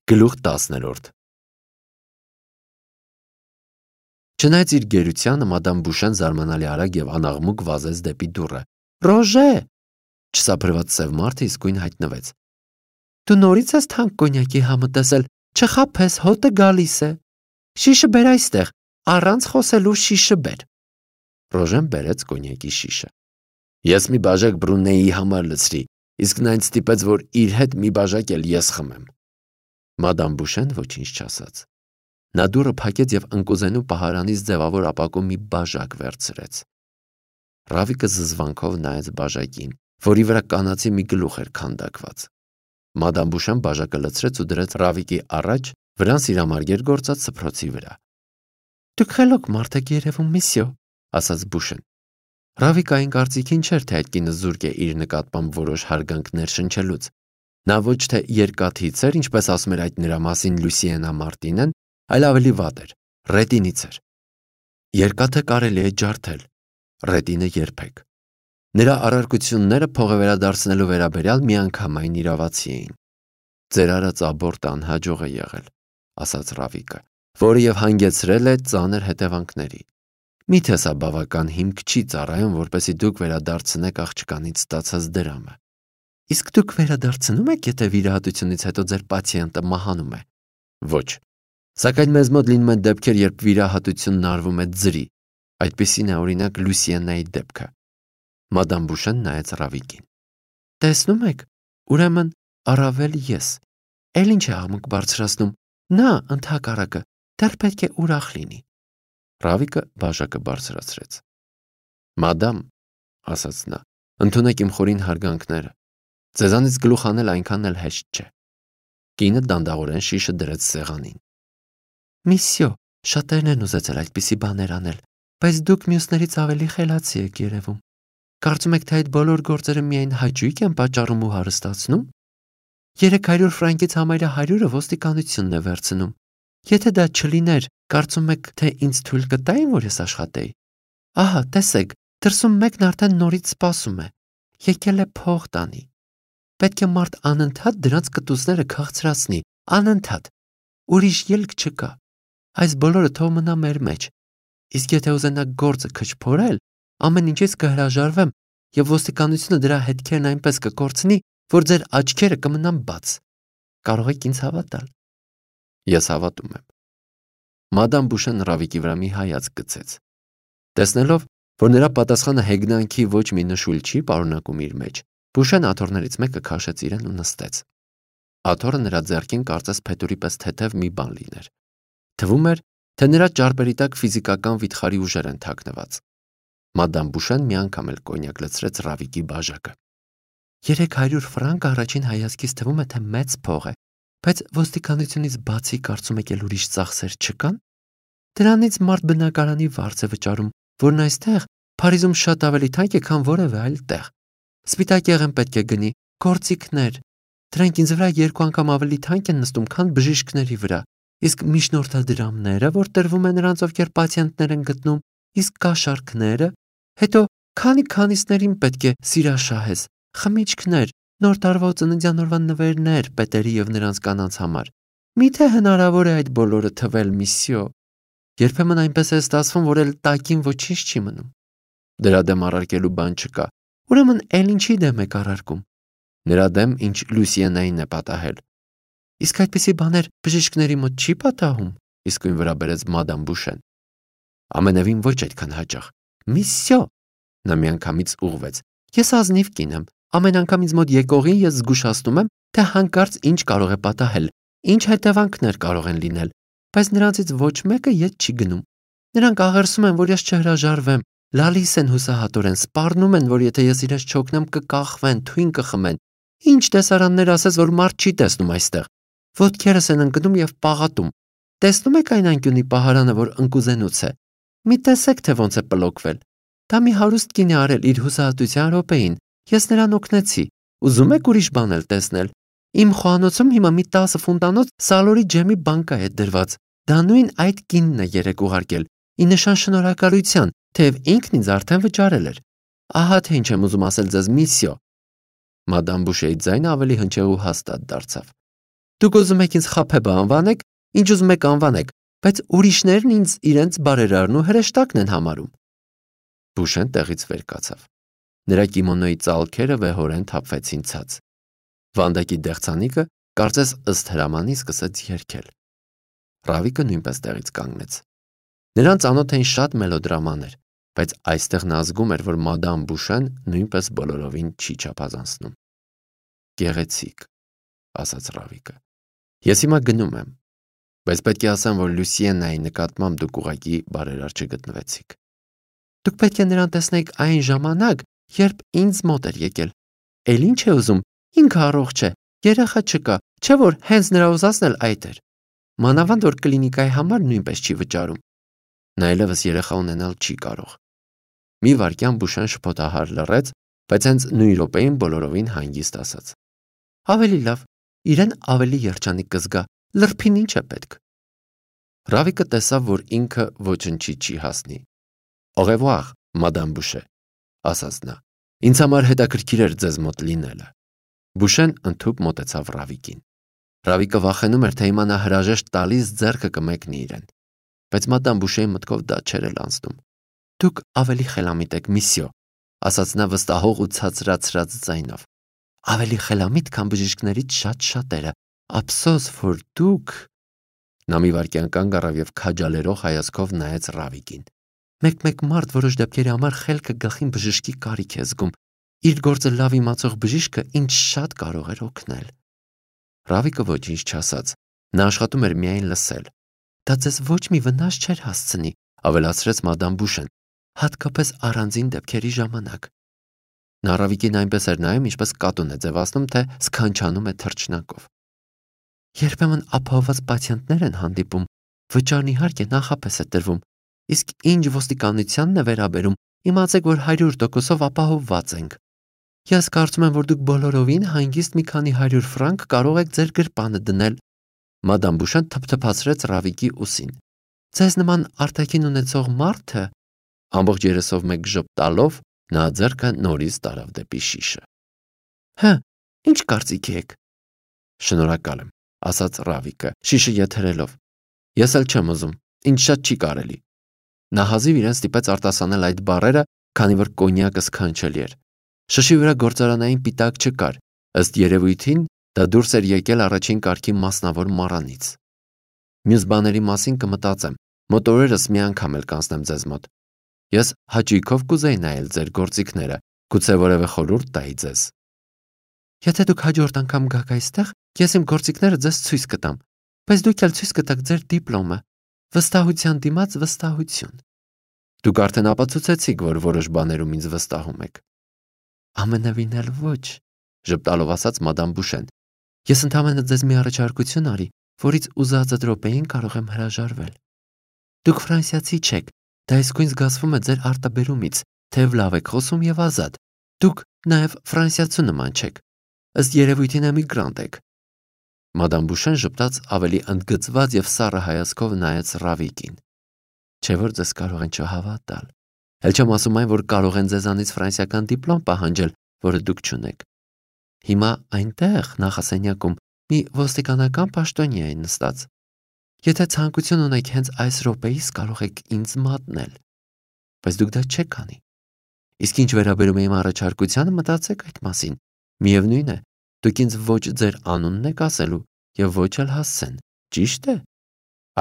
Գլուխ 10-րդ Չնայած իր գերությանը, մադամ Բուշեն զարմանալի արագ եւ անաղմուկ վազեց դեպի դուռը։ Ռոժե! Չսափրված սև մարդը իսկույն հայտնվեց։ Դու նորից ես թանկ կոնյակի համը տեսել, չխաբես, հոտը գալիս է։ Շիշը բեր այստեղ, առանց խոսելու շիշը բեր։ Ռոժեն բերեց կոնյակի շիշը։ Ես մի բաժակ Բրունեի համար լցրի, իսկ նա ինձ ստիպեց, որ իր հետ մի բաժակ էլ ես խմեմ։ Մադամ Բուշեն ոչինչ չասաց։ Նա դուռը փակեց եւ ընկուզենու պահարանից ձևավոր ապակու մի բաժակ վերցրեց։ Ռավիկը զզվանքով նայեց բաժակին, որի վրա կանացի մի գլուխ էր քանդակված։ Մադամ Բուշեն բաժակը լցրեց ու դրեց Ռավիկի առաջ, վրան սիրամարգեր գործած սփռոցի վրա։ Դուք խելոք մարդ եք երևում, միսյո, ասաց Բուշեն։ Ռավիկային կարծիքին չէր, թե այդ կինը զուրկ է իր նկատմամբ որոշ հարգանքներ շնչելուց։ Նա ոչ թե երկաթից էր, ինչպես ասում էր այդ նրա մասին Լուսիենա Մարտինեն, այլ ավելի վատ էր, ռետինից էր։ Երկաթը կարելի է ջարդել, ռետինը երբեք։ Նրա առարկությունները փողը վերադարձնելու վերաբերյալ միանգամայն իրավացի էին։ Ձեր արած աբորտը անհաջող է եղել, ասաց Ռավիկը, որը եւ հանգեցրել է ծանր հետևանքների։ Միթե սա բավական հիմք չի ծառայում, որպեսզի դուք վերադարձնեք աղջկանից ստացած դրամը։ Իսկ դուք վերադարձնում եք, եթե վիրահատությունից հետո ձեր պացիենտը մահանում է։ Ոչ։ Սակայն մեզ մոտ լինում են դեպքեր, երբ վիրահատությունն արվում է ձրի։ Այդպիսին է օրինակ Լուսիենայի դեպքը։ Մադամ Բուշեն նայեց Ռավիկին։ Տեսնում եք, ուրեմն առավել ես։ Էլ ինչ է աղմուկ բարձրացնում։ Նա ընդհակառակը դեռ պետք է ուրախ լինի։ Ռավիկը բաժակը բարձրացրեց։ Մադամ, ասաց նա, ընդունեք իմ խորին հարգանքները։ Ձեզանից գլուխ անել այնքան էլ հեշտ չէ։ Կինը դանդաղորեն շիշը դրեց սեղանին։ Միսյո, շատերն են ուզեցել այդպիսի բաներ անել, բայց դուք մյուսներից ավելի խելացի եք երևում։ Կարծում եք, թե այդ բոլոր գործերը միայն հաճույք են պատճառում ու հարստացնում։ 300 ֆրանկից համարյա 100-ը ոստիկանությունն է վերցնում։ Եթե դա չլիներ, կարծում եք, թե ինձ թույլ կտային, որ ես աշխատեի։ Ահա, տեսեք, դրսում մեկն արդեն նորից սպասում է։ Եկել է փող տանի։ Պետք է մարդ անընդհատ դրանց կտուցները քաղցրացնի, անընդհատ։ Ուրիշ ելք չկա։ Այս բոլորը թող մնա մեր մեջ։ Իսկ եթե ուզենաք գործը քչփորել, ամեն ինչից կհրաժարվեմ եւ ոստիկանությունը դրա հետքերն այնպես կկորցնի, որ ձեր աչքերը կմնան բաց։ Կարող եք ինձ հավատալ։ Ես հավատում եմ։ Մադամ Բուշեն Ռավիկի վրա մի հայացք գցեց։ Տեսնելով, որ նրա պատասխանը հեգնանքի ոչ մի նշույլ չի պարունակում իր մեջ, Բուշեն աթոռներից մեկը քաշեց իրեն ու նստեց։ Աթոռը նրա ձեռքին կարծես փետուրի պես թեթև մի բան լիներ։ Թվում էր, թե նրա ճարպերի տակ ֆիզիկական վիթխարի ուժեր են թաքնված։ Մադամ Բուշեն մի անգամ էլ կոնյակ լցրեց Ռավիկի բաժակը։ 300 ֆրանկ առաջին հայացքից թվում է, թե մեծ փող է, բայց ոստիկանությունից բացի կարծում եք էլ ուրիշ ծախսեր չկան։ Դրանից մարդ բնակարանի վարձ է վճարում, որն այստեղ Փարիզում շատ ավելի թանկ է, քան որևէ այլ տեղ։ Սպիտակ եղեն պետք է գնի, գործիքներ։ Դրանք ինձ վրա 2 անգամ ավելի թանկ են նստում, քան բժիշկների վրա։ Իսկ միջնորդադրամները, որ տրվում են նրանց, ովքեր պացիենտներ են գտնում, իսկ կաշառքները, հետո քանիսներին պետք է սիրաշահես, խմիչքներ, նոր տարվա ծննդյան օրվա նվերներ պետերի եւ նրանց կանանց համար։ Միթե հնարավոր է այդ բոլորը թվել, միսյո։ Երբեմն այնպես է ստացվում, որ էլ տակին ոչինչ չի մնում։ Դրա դեմ առարկելու բան չկա։ Ուրեմն էլ ինչի դեմ եք առարկում։ Նրա դեմ, ինչ Լուսիենային է պատահել։ Իսկ այդպիսի բաներ բժիշկների մոտ չի պատահում, իսկույն վրա բերեց մադամ Բուշեն։ Ամենևին ոչ այդքան հաճախ։ Միսյո, նա միանգամից ուղղվեց։ Ես ազնիվ կին եմ։ Ամեն անգամ ինձ մոտ եկողին ես զգուշացնում եմ, թե հանկարծ ինչ կարող է պատահել, ինչ հետևանքներ կարող են լինել, բայց նրանցից ոչ մեկը ետ չի գնում։ Նրանք աղերսում են, որ ես չհրաժարվեմ, լալիս են հուսահատորեն, սպառնում են, որ եթե ես իրենց չօգնեմ կկախվեն, թույն կխմեն։ Ինչ տեսարաններ ասես, որ մարդ չի տեսնում այստեղ։ Ոտքերս են ընկնում եւ պաղատում։ Տեսնում եք այն անկյունի պահարանը, որ ընկուզենուց է։ Մի տեսեք, թե ոնց է պլոկվել։ Դա մի հարուստ կին է արել իր հուսահատության րոպեին։ Ես նրան օգնեցի։ Ուզում եք ուրիշ բան էլ տեսնել։ Իմ խոհանոցում հիմա մի 10 ֆունտանոց սալորի ջեմի բանկա է դրված։ Դա նույն այդ կինն է երեք ուղարկել։ Ի նշան շնորհակալության, թեև ինքն ինձ արդեն վճարել էր։ Ահա թե ինչ եմ ուզում ասել ձեզ, միսյո։ Մադամ Բուշեի ձայնը ավելի հնչեղ ու հաստատ դարձավ։ Դուք ուզում եք ինձ խաբեբա անվանեք, ինչ ուզում եք անվանեք, բայց ուրիշներն ինձ իրենց բարերարն ու հրեշտակն են համարում։ Բուշեն տեղից վեր կացավ։ Նրա կիմոնոյի ծալքերը վեհորեն թափվեցին ցած։ Վանդակի դեղցանիկը կարծես ըստ հրամանի սկսեց երգել։ Ռավիկը նույնպես տեղից կանգնեց։ Նրան ծանոթ էին շատ մելոդրամաներ, բայց այստեղ նա զգում էր, որ մադամ Բուշեն նույնպես բոլորովին չի չափազանցնում։ Գեղեցիկ, ասաց Ռավիկը։ Ես հիմա գնում եմ, բայց պետք է ասեմ, որ Լուսիենայի նկատմամբ դուք ուղղակի բարերար չգտնվեցիք։ Դուք պետք է նրան տեսնեիք այն ժամանակ, երբ ինձ մոտ էր եկել։ Էլ ինչ է ուզում, ինքը առողջ է, երեխա չկա, չէ՞ որ հենց նրա ուզածն էլ այդ էր։ Մանավանդ որ կլինիկայի համար նույնպես չի վճարում։ Նա այլևս երեխա ունենալ չի կարող։ Մի վայրկյան Բուշեն շփոթահար լռեց, բայց հենց նույն րոպեին բոլորովին հանգիստ ասաց. Ավելի լավ, իրեն ավելի երջանիկ կզգա, լրբին ինչ է պետք։ Ռավիկը տեսավ, որ ինքը ոչնչի չի հասնի։ Au revoir, Madame Boucher, ասաց նա։ Ինձ համար հետաքրքիր էր ձեզ մոտ լինելը։ Բուշեն ընդհուպ մոտեցավ Ռավիկին։ Ռավիկը վախենում էր, թե հիմա նա հրաժեշտ տալիս ձեռքը կմեկնի իրեն։ Բայց Մադամ Բուշեի մտքով դա չէր էլ անցնում։ Դուք ավելի խելամիտ եք, միսյո, ասաց նա վստահող ու ցածրացրած ձայնով։ Ավելի խելամիտ, քան բժիշկներից շատերը։ Ափսոս, որ դուք… Նա մի վայրկյան կանգ առավ և քաջալերող հայացքով նայեց Ռավիկին։ Մեկ մարդ որոշ դեպքերի համար խելքը գլխին բժշկի կարիք է զգում։ Իր գործը լավ իմացող բժիշկը ինձ շատ կարող էր օգնել։ Ռավիկը ոչինչ չասաց։ Նա աշխատում էր միայն լսել։ Դա ձեզ ոչ մի վնաս չէր հասցնի, ավելացրեց Մադամ Բուշեն, հատկապես առանձին դեպքերի ժամանակ։ Նա Ռավիկին այնպես էր նայում, ինչպես կատուն է ձևացնում, թե սքանչանում է թռչնակով։ Երբեմն ապահովված պացիենտներ են հանդիպում, վճարն իհարկե նախապես է տրվում, իսկ ինչ ոստիկանությանն է վերաբերում, իմացեք, որ 100% ապահովված ենք։ Ես կարծում եմ, որ դուք բոլորովին հանգիստ մի քանի 100 ֆրանկ կարող եք ձեր գրպանը դնել։ Մադամ Բուշեն թփթփացրեց Ռավիկի ուսին։ Ձեզ նման արտաքին ունեցող մարդը… Ամբողջ երեսով մեկ ժպտալով նա ձեռքը նորից տարավ դեպի շիշը։ Հը, ինչ կարծիք եք։ Շնորհակալ եմ, ասաց Ռավիկը, շիշը եթերելով։ Ես էլ չեմ ուզում, ինձ շատ չի կարելի։ Նա հազիվ իրեն ստիպեց արտասանել այդ բառերը, քանի որ կոնյակը սքանչելի էր։ Շշի վրա գործարանային պիտակ չկար, ըստ երևույթին դա դուրս էր եկել առաջին կարգի մասնավոր մառանից։ Մյուս բաների մասին կմտածեմ, մոտ օրերս մի անգամ էլ կանցնեմ ձեզ մոտ։ Ես հաճույքով կուզեի նայել ձեր գործիքները, գուցե որևէ խորհուրդ տայի ձեզ։ Եթե դուք հաջորդ անգամ գաք այստեղ, ես իմ գործիքները ձեզ ցույց կտամ, բայց դուք էլ ցույց կտաք ձեր դիպլոմը։ Վստահության դիմաց վստահություն։ Դուք արդեն ապացուցեցիք, որ որոշ բաներում ինձ վստահում եք։ Ամենևին էլ ոչ, ժպտալով ասաց Մադամ Բուշեն։ Ես ընդհանրապես ձեզ մի առաջարկություն արի, որից ուզածդ րոպեին կարող եմ հրաժարվել։ Դուք ֆրանսիացի չեք, դա իսկույն զգացվում է ձեր արտաբերումից, թեև լավ եք խոսում եւ ազատ։ Դուք նաեւ ֆրանսիացու նման չեք, ըստ երևույթին էմիգրանտ եք։ Մադամ Բուշեն ժպտաց ավելի ընդգծված եւ սառը հայացքով նայեց Ռավիկին։ Չէ՞ որ ձեզ կարող են չհավատալ։ Էլ չեմ ասում այն, որ կարող են ձեզանից ֆրանսիական դիպլոմ պահանջել, որը դուք չունեք։ Հիմա այնտեղ նախասենյակում մի ոստիկանական պաշտոնյա է նստած։ Եթե ցանկություն ունեք հենց այս րոպեից կարող եք ինձ մատնել։ Բայց դուք դա չեք անի։ Իսկ ինչ վերաբերում է իմ առաջարկությանը, մտածեք այդ մասին։ Միևնույն է, դուք ինձ ոչ ձեր անունն եք ասելու եւ ոչ էլ հասցեն, ճիշտ է։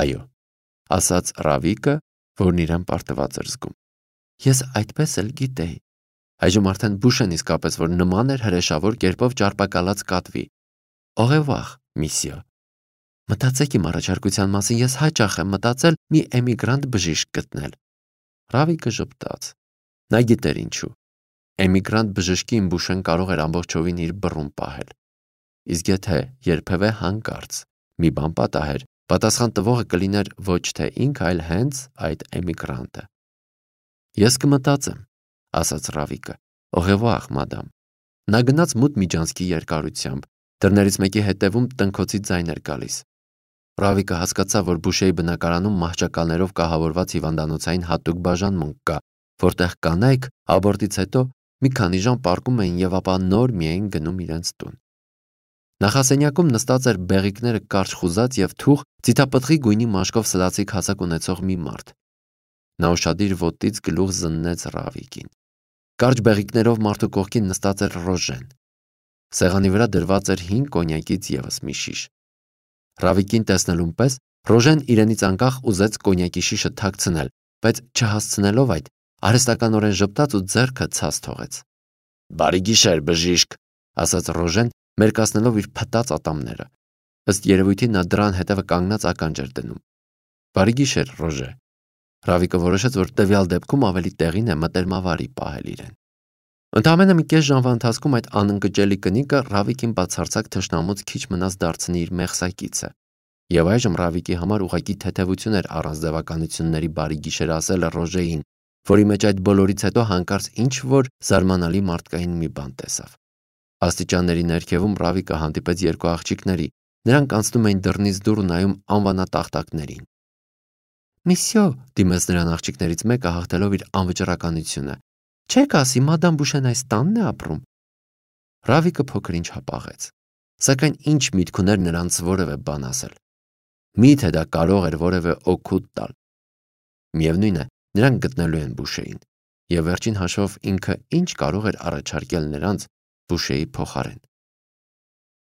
Այո, ասաց Ռավիկը, որն իրեն պարտված էր զգում։ Ես այդպես էլ գիտեի։ Այժմ արդեն Բուշեն իսկապես որ նման էր հրեշավոր կերպով ճարպակալած կատվի։ Au revoir, միսյո։ Մտածեք իմ առաջարկության մասին, ես հաճախ եմ մտածել մի էմիգրանտ բժիշկ գտնել։ Ռավիկը ժպտաց։ Նա գիտեր ինչու։ Էմիգրանտ բժշկին Բուշեն կարող էր ամբողջովին իր բռուն պահել։ Իսկ եթե երբևէ հանկարծ մի բան պատահեր, պատասխան տվողը կլիներ ոչ թե ինքը, այլ հենց այդ էմիգրանտը։ Ես կմտածեմ, ասաց Ռավիկը։ Au revoir, madame։ Նա գնաց մութ միջանցքի երկարությամբ, դռներից մեկի հետևում տնքոցի ձայն էր գալիս։ Ռավիկը հասկացավ, որ Բուշեի բնակարանում մահճակալներով կահավորված հիվանդանոցային հատուկ բաժանմունք կա, որտեղ կանայք աբորտից հետո մի քանի ժամ պառկում էին եւ ապա նոր միայն գնում իրենց տուն։ Նախասենյակում նստած էր բեղիկները կարճ խուզած եւ թուխ ծիթապտղի գույնի մաշկով սլացիկ հասակ ունեցող մի մարդ։ Նա ուշադիր ոտից գլուխ զննեց Ռավիկին։ Կարճ բեղիկներով մարդու կողքին նստած էր Ռոժեն։ Սեղանի վրա դրված էր 5 կոնյակից եւս մի շիշ։ Ռավիկին տեսնելուն պես Ռոժեն իրենից անկախ ուզեց կոնյակի շիշը թաքցնել, բայց չհասցնելով այդ, արհեստականորեն ժպտաց ու ձեռքը ցած թողեց։ «Բարի գիշեր, բժիշկ», ասաց Ռոժեն, մերկացնելով իր փտած ատամները։ Ըստ երևույթի նա դրան հետևը կանգնած ականջ էր դնում։ «Բարի գիշեր, Ռոժե»։ Ռավիկը որոշեց, որ տվյալ դեպքում ավելի տեղին է մտերմավարի պահել իրեն։ Ընդամենը մի կես ժամվա ընթացքում այդ անընկճելի կնիկը Ռավիկին բացարձակ թշնամուց քիչ մնաց դարձնի իր մեղսակիցը։ Եվ այժմ Ռավիկի համար ուղղակի թեթևություն էր առանց ձևականությունների բարի գիշեր ասելը Ռոժեին, որի մեջ այդ բոլորից հետո հանկարծ ինչ-որ զարմանալի մարդկային մի բան տեսավ։ Աստիճանների ներքևում Ռավիկը հանդիպեց երկու աղջիկների, նրանք անցնում էին դռնից դուր ու նայում անվանատախտակներին։ «Միսյո», դիմեց նրան աղջիկներից մեկը հաղթելով իր անվճռականությունը, «չեք ասի, մադամ Բուշեն այս տանն է ապրում»։ Ռավիկը փոքր-ինչ հապաղեց, սակայն ինչ միտք ուներ նրանց որևէ բան ասել։ Միթե դա կարող էր որևէ օգուտ տալ։ Միևնույն է, նրանք գտնելու են Բուշեին, եւ վերջին հաշվով ինքը ինչ կարող էր առաջարկել նրանց Բուշեի փոխարեն։